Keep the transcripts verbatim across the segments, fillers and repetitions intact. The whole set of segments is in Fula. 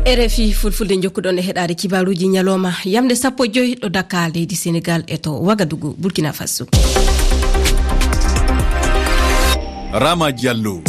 R F I Fulfulde, jokkuɗon e heɗaade kibaaruuji ñalawma yamnde sappo e joy ɗo Dakar, leydi Senegal, e to Wagadugu, Burkina Faso. Rama Diallo.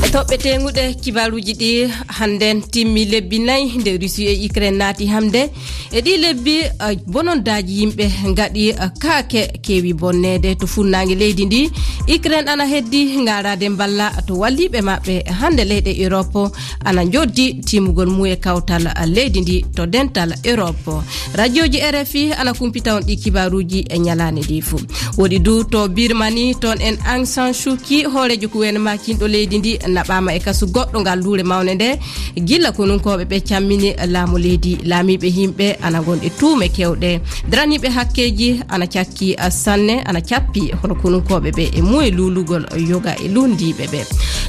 E toɓɓe teeŋuɗe kibaaruuji ɗi, hannden timmi lebbi nayi nde Russie e Ukraine naati hamde. E ɗii lebbi, eh, bonondaaji yimɓe ngaɗi, eh, kaake keewi bonneede to funnaange leydi ndi. Ukraine ana heddi ŋaaraade mballa to walliiɓe maɓɓe. Hannde leyɗe Europe ana njoddi timmugol mum e kawtal leydi ndi to dental Europe. Radiooji R F I ana kumpita on ɗi kibaaruuji e ñalaande ndi fuu. Woɗi du to Birmanie, toon en Aung San Suu Kyi, hooreejo gouvernement kiinɗo leydi ndi, naɓaama e kasu goɗɗo ngal luure mawnde nde. Gilla konunkooɓe ɓe cammini laamu leydi, laamiiɓe yimɓe ana ngonɗi tuume kewɗe. Daraniiɓe hakkeeji ana cakki, ah, sanne, ana cappi hono konunkooɓe ɓe e muye luulugol yoga e luulndiiɓe ɓe.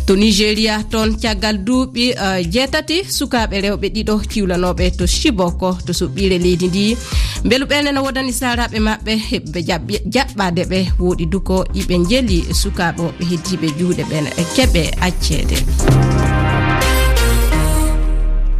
To Nigeria, toon caggal duuɓi, ah, jeetati, sukaaɓe rewɓe ɗiɗo ciwlanooɓe to Chibok, to suɓɓiire leydi ndi, mbelu ɓeen ene woodani saaraaɓe maɓɓe heɓɓe jaɓɓi-, jaɓɓaade ɓe. Woɗi du ko iɓe njeli sukaaɓe woɓɓe heddiiɓe juuɗe ɓeen keɓe acceede.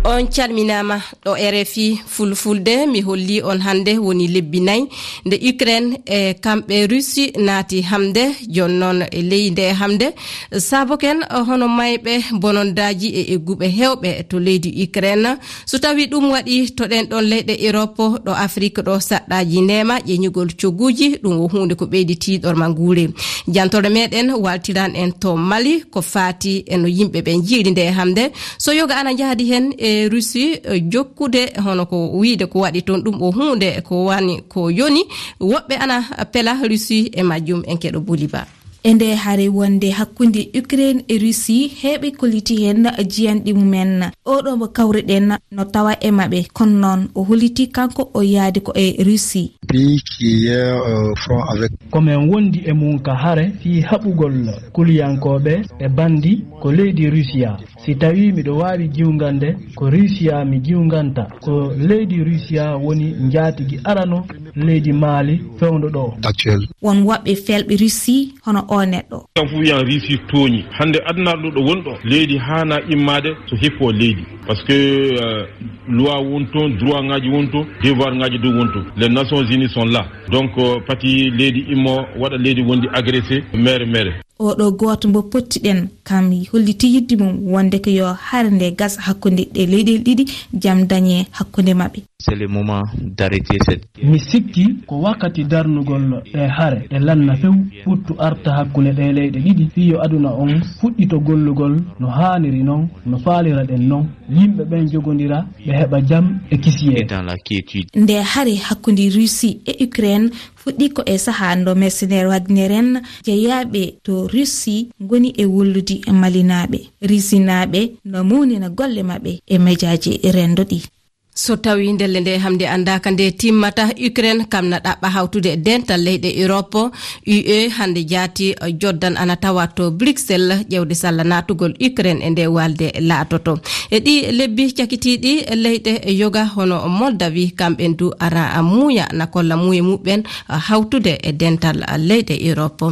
On calminaama. Ɗo R F I Fulfulde, mi holli on hannde woni lebbi nayi nde Ukraine e kamɓe Russie naati hamde, jooni noon e ley nde hamde. Saaboken hono mayɓe, bonondaaji e egguɓe heewɓe to leydi Ukraine. So tawi ɗum waɗi to ɗen ɗon leyɗe Europe, ɗo Afrique ɗo, saɗɗaaji neema ƴeñugol cogguuji, ɗum wo huunde ko ɓeydi tiiɗorma nguure. Jantore meɗen waltiran en to Mali ko faati e no yimɓe ɓe njiiri nde hamde. So yoga ana jahdi heen e Russie, eh, jokkude hono ko wiyde ko waɗi toon, ɗum o huunde ko wani ko yoni. Woɓɓe ana pela Russie e majjum, en keɗo Boliba. E nde hare wonde hakkunde Ukraine e Russie, heɓe kolliti heen jiyanɗi mumen. Oɗo mo kawriɗen no tawa e maɓɓe, kono noon o holliti kanko o yaadi ko e Russie. Pays qui est, euh, front avec. Ko men wondi e mum ka hare fii haɓugol kuliyankooɓe e bandi ko leydi Rusiya. Si tawii miɗo waawi jiwgande, ko Rusiya mi jiwganta. Ko leydi Rusiya woni njaatigi arano leydi Mali fewndo ɗo. Actuel. Won woɓɓe felɓe Russie hono o neɗɗo. Kam fof wiyan Russie tooñi. Hannde aduna ɗo ɗo woni ɗo, leydi haana immaade so hippo leydi. Parce que, euh, loi won toon, droit ngaji won toon, devoir ngaji dow won toon. Les Nations Unies sont là. Donc, euh, pati leydi immo waɗa leydi wondi agressé, mere, mere. Oɗo gooto mbo pottiɗen, kam holliti yidde mum wonde ko yo hare nde gasa hakkunde ɗe leyɗeele ɗiɗi, jam dañe hakkunde maɓɓe. C'est le moment d'arrêter cette. Mi sikki ko wakkati darnugol e hare e lanna few ɓuttu arta hakkunde ɗe leyɗe ɗiɗi, fii yo aduna on fuɗɗito gollugol no haaniri non, no faaliraɗen non, yimɓe ɓen jogondira, ɓe heɓa jam e kisiyee. Et dans la quiétude. Nde hare hakkunde Russie e Ukraine fuɗɗi ko e sahaa ndo mercenaire Wagner en jeyaaɓe to Russie ngoni e wullude Malinaaɓe. Rusinaaɓe no mawnina golle maɓɓe e mejaaji renndo ɗi. So tawii ndelle nde hamde anndaaka nde timmata, Ukraine kam na ɗaɓɓa hawtude e dental leyɗe Europe, U E, hannde jaati joddan ana tawa to Bruxelles, ƴeewde salla naatugol Ukraine e nde walde laatoto. E ɗi lebbi cakitiiɗi, leyɗe yoga hono Moldavie, kamɓen du ara muuya na kolla muuye muɓɓen hawtude e dental leyɗe Europe.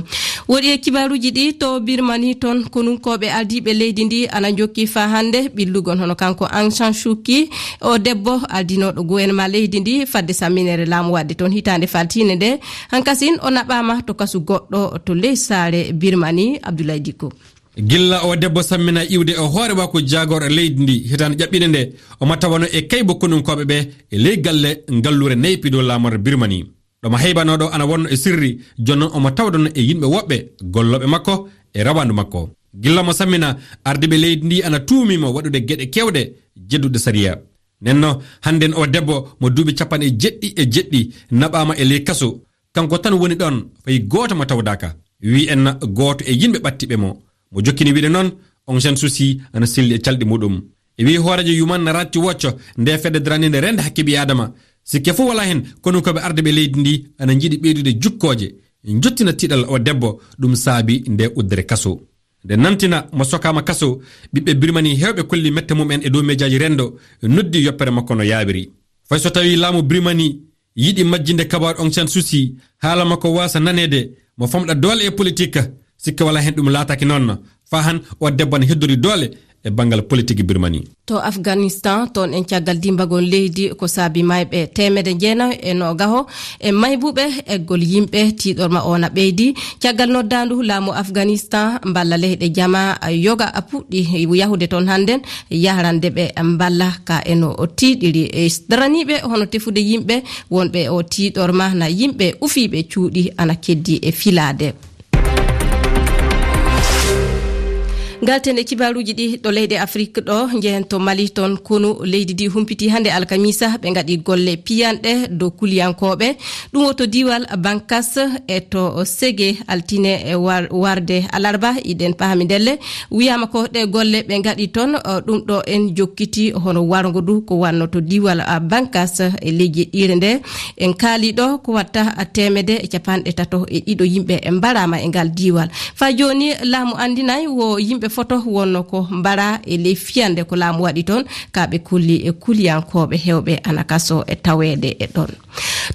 Woɗi e kibaaruuji ɗi to Birmanie, toon konunkooɓe ardiiɓe leydi ndi ana njokki faa hannde ɓillugol hono kanko Aung San Suu Kyi, o debbo ardinooɗo gouvernement leydi ndi fadde samminere laamu waɗde toon hitaande faltiinde nde. Hankasin o naɓaama to kasu goɗɗo to ley saare Birmanie. Abdoulaye Dicko. Gilla o debbo sammina iwde o hoore makko jaagorɗo leydi ndi hitaande ƴaɓɓiinde nde, omo tawano e kaybo konunkooɓe ɓe e ley galle ngalluure naypi dow laamorde Birmanie. Ɗo mo heybanoo ɗo ana wonno e sirri, jooni noon omo tawdano e yimɓe woɓɓe, gollooɓe makko e rawaandu makko. Gilla mo sammina, ardiiɓe leydi ndi ana tuumi mo waɗude geɗe keewɗe jedduɗe sariya. Nenno, hannden o debbo mo duuɓi capanɗe jeɗɗi e jeɗɗi naɓaama e ley kaso. Kanko tan woni ɗoon, fay gooto mo tawdaaka. Wii en gooto e yimɓe ɓattiɓe mo. Mo jokkini wiide noon, Aung San Suu Kyi ana selli e calɗi muɗum. E wii hooreejo Human Rights Watch, nde fedde daraniinde rende hakke ɓii Aadama. Sikke fof walaa heen, kono ko ɓe ardiiɓe leydi ndi ana njiɗi ɓeydude jukkooje, njottina tiiɗal o debbo, ɗum saabi nde uddere kaso. Nde nantina mo sokaama kaso, ɓiɓɓe Birmanie heewɓe kolli mette mum en e dow mejaaji renndo, noddi yoppere makko no yaawiri. Fay so tawii laamu Birmanie yiɗi majjinde kabaaru Aung San Suu Kyi, haala makko waasa naneede, mo famɗa doole e politik, sikke walaa heen ɗum laataaki noon. Faa han o debbo ne heddori doole e banngal politik Birmani. To Afganistan, toon en caggal dimbagol leydi ko saabi mayɓe teemedde jeenayo e noogaho e maybuɓe, eggol yimɓe tiiɗorma o na ɓeydi. Caggal noddaandu laamu Afganistan, mballa leyɗe jama yoga puɗɗi yahude toon hannden, yahrande ɓe mballa ka eno tiiɗiri. E daraniiɓe hono tefude yimɓe wonɓe o tiiɗorma na yimɓe ufiiɓe cuuɗi ana keddi e filaade. Ngalten e kibaaruuji ɗi ɗo leyɗe Afrik ɗo, njehen to Mali toon, konu leydi ndi humpiti hannde alkamisa, ɓe ngaɗi golle piyanɗe dow kuliyankooɓe. Ɗum o to diiwal Bankas e to Sege altine e war-, warde alarba, iɗen pahami ndelle. Wiyaama ko ɗe golle ɓe ngaɗi toon, o, ɗum ɗo en jokkiti hono warngo du ko wanno to diiwal, a, Bankas e leydi ɗiire nde. En kaali ɗo ko watta teemedde e capanɗe tato e ɗiɗo yimɓe e mbaraama e ngal diiwal. Faa jooni laamu anndinay wo yimɓe foto wonno ko mbara e ley fiyande ko laamu waɗi toon, ka ɓe kolli e kuliyankooɓe heewɓe ana kaso e taweede e ɗon.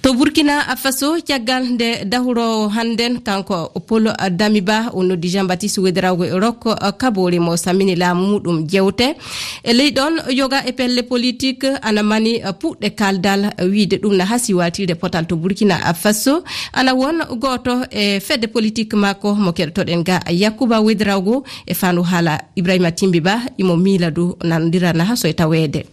To Burkina Faso, caggal nde dahuroowo hannden kanko Paul Damiba, o noddi Jean-Baptiste Ouédraogo e Roch Kaboré mo sammini laamu muɗum jewte. E ley ɗon yoga e pelle politik ana mani puɗɗe kaldal, wiide ɗum na hasi waltirde potal to Burkina Faso. Ana won gooto e fedde politik makko mo keɗotoɗen ga, Yakuba Ouédraogo, e fandu haala Ibrahima Timbi Ba, imo miila du nanondiral na haso e taweede.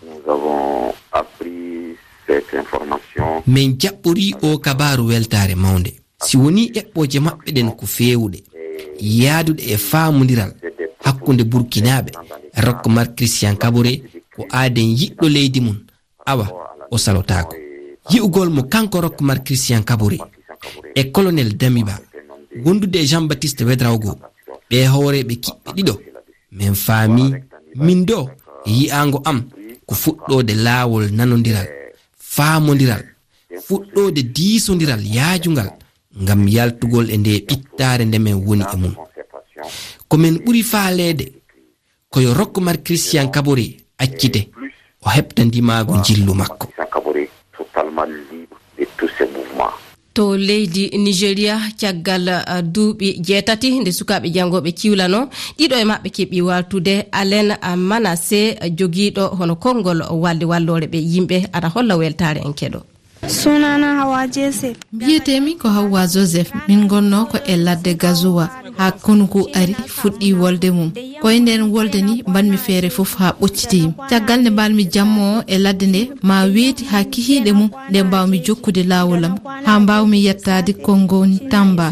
Nous avons appris cette information. Min jaɓɓorii oo kabaaru weltaare mawnde. Si wonii eɓɓooje maɓɓe ɗen ko feewuɗe, yaaduɗe e faamondiral hakkunde Burkinaaɓe, Roch Marc Christian Kaboré ko aaden yiɗɗo leydi mum, awa o salotaako. Yi'ugol mo kanko Roch Marc Christian Kaboré e Colonel Damiba, wondude e Jean-Baptiste Ouédraogo, ɓe hooreeɓe kiɓɓe ɗiɗo, min faami, min ɗo, e yi'aango am, ko fuɗɗoode laawol nanondiral, faamondiral, fuɗɗoode diisondiral yaajungal ngam yaltugol e nde ɓittaare nde min woni e mum. Ko min ɓuri faaleede ko yo Roch Marc Christian Kaboré accite, o heɓta ndimaagu njillu makko. To leydi Nigeria, caggal, ah, duuɓi jeetati nde sukaaɓe janngooɓe ciwlano, ɗiɗo e maɓɓe keɓi waaltude. Allen, ah, Manasseh, jogiiɗo hono konngol walde walloore ɓe yimɓe, aɗa holla weltaare en keɗo. Sunana Hawa Jesse. Mbiyetee-mi ko Hawwa Joseph. Min ngonnoo ko e ladde Gazuwa. Haa konu ngu ari, fuɗɗi wolde mum. Ko e nder wolde ni mbaɗmi feere fof haa ɓoccitii. Caggal nde mbaɗmi jammo o e ladde nde, maa weeti haa kihiiɗe mum, nde mbaawmi jokkude laawol am, haa mbaawmi yettaade Kongo Tamba.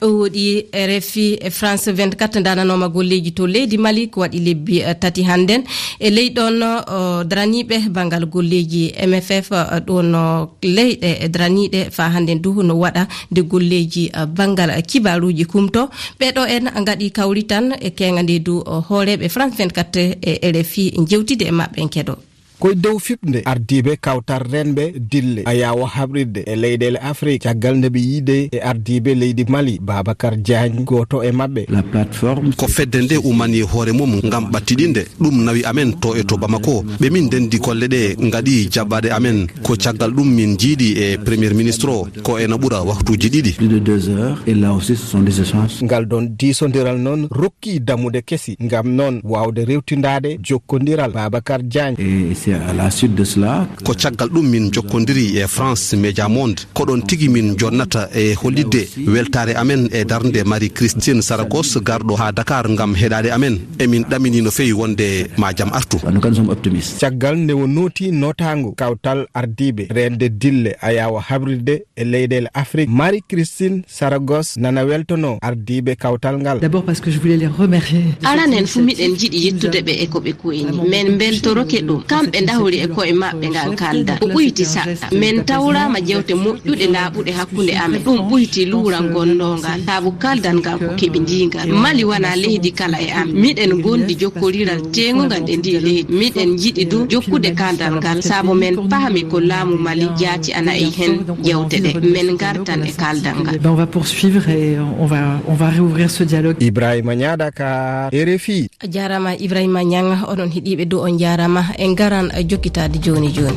O woɗi R F I e France vingt-quatre ndananooma golleeji to leydi Mali, ko waɗi lebbi, eh, tati hannden. E ley ɗon, o, daraniiɓe banngal golleeji M F F, eh, ɗon, o, leyɗe, eh, daraniiɗe faa hannden du no waɗa nde golleeji, eh, banngal, eh, kibaaruuji kumto. Ɓee ɗo en ngaɗi kawrital e keeŋa nde du, o, hooreeɓe France vingt-quatre e R F I njewtide e maɓɓe en keɗo. Ko e dow fiɓnde ardiiɓe kawtal reenɓe dille ayaawo haɓrirde e leyɗeele Afrik, caggal nde ɓe yiide e ardiiɓe leydi Mali, Babacar Diagne, gooto e maɓɓe. La plateforme. Ko fedde nde ummani hoore mum ngam ɓattiɗinde. Ɗum nawi amen to e to Bamako. Ɓe min ndenndi golle ɗe ngaɗi jaɓɓaade amen. Ko caggal ɗum min njiidi e Premier Ministre o. Ko ena ɓura waktuuji ɗiɗi. Plus de deux heures, et là aussi, ce sont des échanges. Ngal ɗon diisondiral noon rokki dammuɗe kesi ngam noon waawde rewtindaade jokkondiral. Babacar Diagne. Et c'est à la suite de cela. Ko caggal ɗum min njokkondiri e France Média Monde. Ko ɗon tigi min jonnata e hollitde weltaare amen e darnde Marie Christine Saragos garɗo haa Dakar ngam heɗaade amen. E min ɗamini no feewi wonde ma jam artu. En tout cas, nous sommes optimistes. Caggal nde o nooti nootaango kawtal ardiiɓe reenɓe dille ayaawo haɓrirde e leyɗeele Afrik, Marie Christine Saragos nana weltono ardiiɓe kawtal ngal. D'abord parce que je voulais les remercier. Aran en fuu miɗen njiɗi yettude ɓe e ko ɓe koyni. Min mbeltoroke ɗum. Kamɓe ndahori e koye maɓɓe ngal kaldal. Ko ɓuyti saɗɗa. Min tawraama jewte moƴƴuɗe laaɓuɗe hakkunde amen. Ɗum ɓuyti luural ngol ngal. Sabu kaldal ngal ko keɓindiingal. Mali wonaa leydi kala e amen. Miɗen ngondi jokkodiral teeŋungal e ndii leydi. Miɗen njiɗi du jokkude kaldal ngal. Sabu min pahmi ko laamu Mali jaati ana e heen jewte ɗe. Min ngartan e kaldal ngal. Eh ben, on va poursuivre et on va, on va réouvrir ce dialogue. Ibrahima Niang, Dakar, R F I. A jaaraama Ibrahima Niang, onon heɗiiɓe du on njaaraama. En ngaran jokkitaade jooni jooni.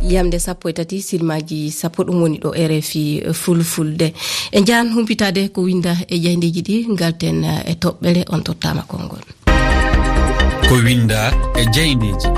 Yamde sappo e tati, silmaaji sappo, ɗum woni ɗo R F I Fulfulde. E njaan humpitaade ko winda e jayndeeji ɗi, ngalten e toɓɓere, on tottaama konngol. Ko winda e jayndeeji.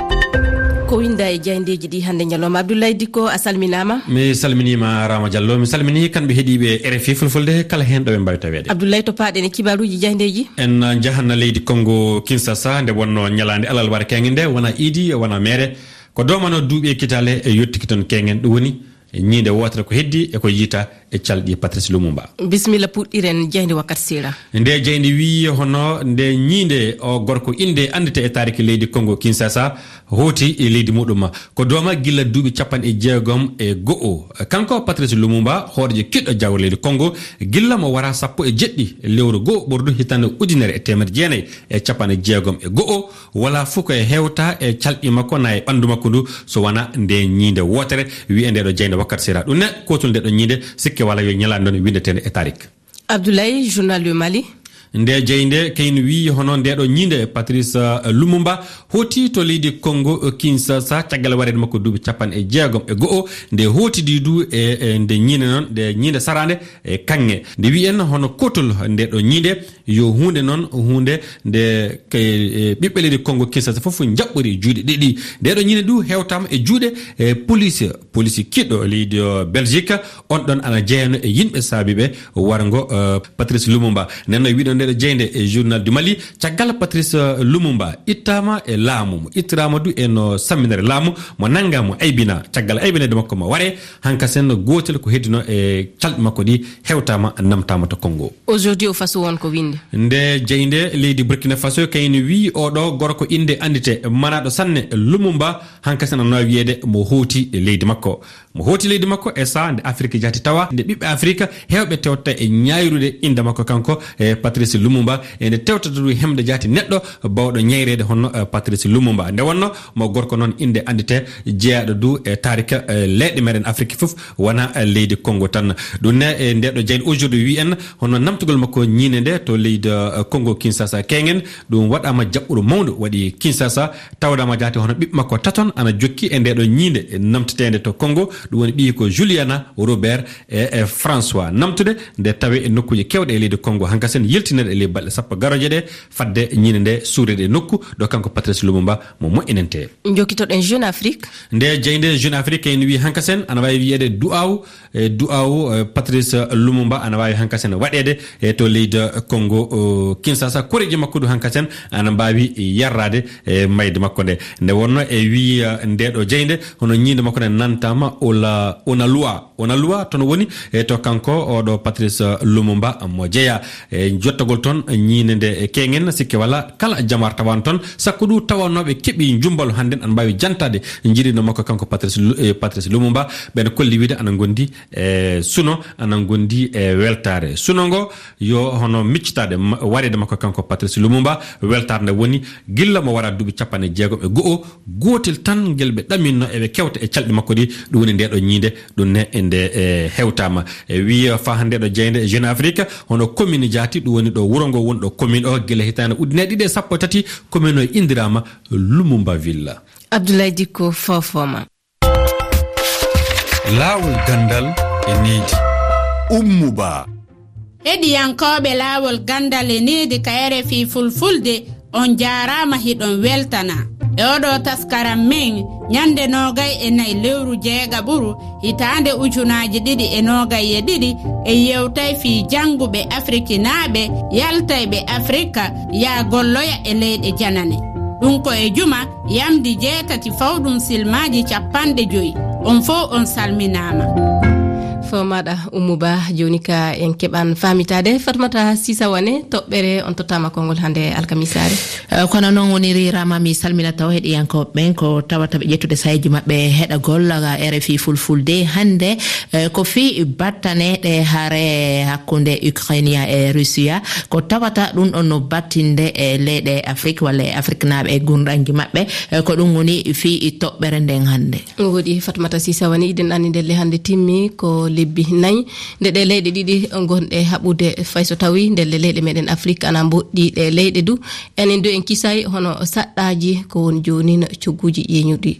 Ko winda e jayndeeji ɗi hannde ñalawma. Abdoulaye Dicko, a salminaama. Mi salminiima, Rama Diallo. Mi salminii kamɓe heɗiiɓe R F I Fulfulde, kala heen ɗo ɓe mbaawi taweede. Abdoulaye, to paaɗen e kibaaruuji jayndeeji. En njahan leydi Kongo Kinshasa, nde wonnoo ñalaande alarba keeŋen nde, wona iidi, wona meere. Ko doomano duuɓi e kitaale e yottiki toon keeŋen, ɗum woni ñiinde wootere ko heddi e ko yiyta e calɗi Patrice Lumumba. Bisimilla, puɗɗiren jaynde wakkati seeɗa. Nde jaynde wiyi hono nde ñiinde o gorko innde anndete e taariki leydi Kongo Kinshasa hooti e leydi muɗum. Ko dooma gilla duuɓi capanɗe jeegom e go'o. Kanko Patrice Lumumba, hooreejo kiɗɗo jawle leydi Kongo, gilla mo wara sappo e jeɗɗi lewru go'o ɓordu hitaande ujunere e teemedde jeenayi e capanɗe jeegom e go'o, wala fof ko e hewta e calɗi makko na e ɓanndu makko ndu, so wona nde ñiinde wootere, wiye nde ɗo jaynde wakkati seeɗa. Ɗum ne, kootol nde ɗo ñiinde, sikke wala yo ñalaande ɗon windeteende e tarik. Abdoulaye, journal du Mali. Nde jaynde kayen wiyi hono nde ɗo ñiinde Patrice, eh, Lumumba hooti to leydi Kongo, eh, Kinshasa, caggal wareede makko duuɓi capanɗe jeegom e go'o, nde hootidi du e, e nde ñiinde noon, nde ñiinde saraande e kaŋŋe. Nde wiyen hono kootol nde ɗo ñiinde, yo huunde noon, huunde nde ke-, e, ɓiɓɓe leydi Kongo Kinshasa fof njaɓɓori juuɗe ɗiɗi. Nde ɗo ñiinde du hewtaama e juuɗe, e, police, police kiɗɗo leydi, o, Belgique, on ɗon ana jeyano e yimɓe saabiiɓe warngo, e, Patrice Lumumba. Nden no wiɗon nde ɗo jeynde e Journal du Mali, caggal Patrice, e, Lumumba ittaama e laamu, mo ittiraama du e no samminere laamu, mo nannga, mo aybina, caggal aybinede makko mo ware, hankasen gootel ko heddino e calɗi makko ɗi hewtaama, namtaama to Kongo. Aujourd'hui o Faso won ko winde. Nde jeynde leydi Burkina Faso kayni wi oɗo gorko innde anndite manaaɗo sanne Lumumba, hankasen ana waawi wiyeede mo hooti leydi makko. Mo hooti leydi makko e saha nde Afirka jaati tawa, nde ɓiɓɓe Afirka heewɓe tewta e ñaayrude innde makko kanko e Patrice Lumumba, e nde tewtata du hemde jaati neɗɗo bawɗo ñayreede hono, e, Patrice Lumumba. Nde wonno mo gorko noon innde anndite jeyaaɗo du e taarika, e, leyɗe meɗen Afirka fof, wona, e, leydi Kongo tan. Ɗum ne, e, nde ɗo jeyde aujourd'hui wi en hono namtugol makko ñiinde nde to leydi, e, Kongo Kinshasa keeŋen, ɗum waɗaama jaɓɓuru mawndu waɗi Kinshasa, tawdaama jaati hono ɓiɓɓe makko taton ana jokki e nde ɗo ñiinde namteteende to Kongo, ɗum woni ɓiyi ko Juliana, Robert e, e François. Namtude nde tawe e nokkuuje keewɗe e leydi Kongo, hankasen yiltinere e ley balɗe sappo garooje ɗe, fadde ñiinde nde suurede e nokku ɗo kanko Patrice Lumumba mo moƴƴinante. Jokkitoɗen Jeune Afrique. Nde jeynde Jeune Afrique en wi hankasen ana waawi wiyeede du'aawu, e, du'aawu, e, Patrice Lumumba ana waawi hankasen waɗeede e to leydi Kongo, o, Kinshasa. Koreeji makko du hankasen ana mbaawi yarraade e mayde makko nde. Nde wonno e wi, e, nde ɗo jeynde hono ñiinde makko nde nantama Ola, Ona Loi. Ona Loi toon woni, e, to kanko oɗo Patrice Lumumba mo jeya. E, jottagol toon ñiinde nde, e, keeŋen sikke wala kala jamar tawan toon, sakko du tawanooɓe keɓi jumbalu hannden ana mbaawi jantaade njiɗino makko kanko Patrice Lu-, e, Patrice Lumumba, ɓen kolli wiide ana ngondi e suno, ana ngondi e weltaare. Suno ngo yo hono miccitaade ma-, wareede makko kanko Patrice Lumumba, weltaare nde woni gilla mo wara duuɓi capanɗe jeegom e go'o, gootel tan ngel ɓe ɗaminno eɓe kewta e calɗi makko ɗi, ɗum woni nde ɗo ñiinde, ɗum ne e nde, e, hewtaama. E wiya faa hannde ɗo jeynde e Jeune Afrique, hono commune jaati, ɗum woni ɗo wuro ngo woni ɗo commune o, gila hitaande ujunere ɗiɗi e sappo e tati, commune o inndiraama Lumumba Villa. Abdoulaye Dicko, fofoma. Laawol ganndal e needi. Ummu Ba. Heɗiyankooɓe Laawol Ganndal e Needi ka R F I Fulfulde, on jaaraama, hiɗon weltana. E oɗo taskaram men, ñannde noogay e nayi lewru jeegaɓuru, hitaande ujunaaji ɗiɗi e noogay e ɗiɗi, e yewtay fii jannguɓe Afrikinaaɓe yaltayɓe Afrika, yaa golloya e leyɗe janane. Ɗum ko e juma, yamndi jeetati fawɗum silmaaji cappanɗe joyi. On fow on salminaama. Fo maɗa Ummu Ba, jooni ka en keɓan faamitaade. Fatmata Sisa Wane, toɓɓere on tottaama konngol hannde alkamisaare. Eh, kono noon woniri, Rama, mi salmina taw heɗiyankooɓe ɓen ko tawata ɓe ƴettude saheeji maɓɓe heɗagol, ah, R F I Fulfulde hannde, eh, ko fii battane ɗe hare hakkunde Ukraine e Russia, ko tawata ɗum ɗon no battinde e leyɗe Afrique walla e Afriknaaɓe e gurndanji maɓɓe, eh, ko ɗum woni fii toɓɓere nden hannde. Woɗi Fatmata Sisa Wane, iɗen anndi ndelle hannde timmi ko lebbi nayi nde ɗe leyɗe ɗiɗi ngonɗe haɓude, fay so tawi ndelle leyɗe meɗen Afrique ana mboɗɗi ɗe leyɗe du. Enen du en kisay hono saɗɗaaji ko woni jooni no cogguuji ƴeeñuɗi.